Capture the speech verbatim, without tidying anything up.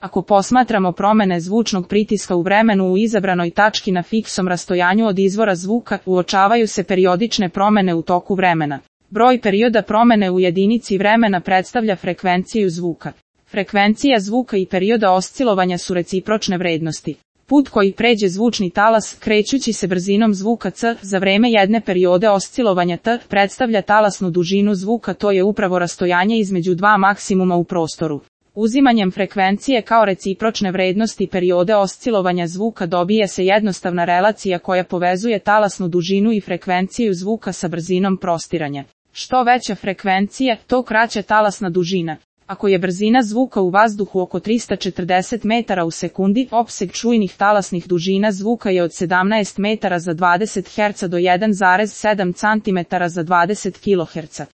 Ako posmatramo promene zvučnog pritiska u vremenu u izabranoj tački na fiksnom rastojanju od izvora zvuka, uočavaju se periodične promene u toku vremena. Broj perioda promene u jedinici vremena predstavlja frekvenciju zvuka. Frekvencija zvuka i perioda oscilovanja su recipročne vrednosti. Put koji pređe zvučni talas, krećući se brzinom zvuka c, za vreme jedne periode oscilovanja t, predstavlja talasnu dužinu zvuka, to je upravo rastojanje između dva maksimuma u prostoru. Uzimanjem frekvencije kao recipročne vrednosti periode oscilovanja zvuka dobije se jednostavna relacija koja povezuje talasnu dužinu i frekvenciju zvuka sa brzinom prostiranja. Što veća frekvencija, to kraća talasna dužina. Ako je brzina zvuka u vazduhu oko trista četrdeset metara u sekundi, opseg čujnih talasnih dužina zvuka je od sedamnaest metara za dvadeset herca do jedan zarez sedam centimetara za dvadeset kiloherca.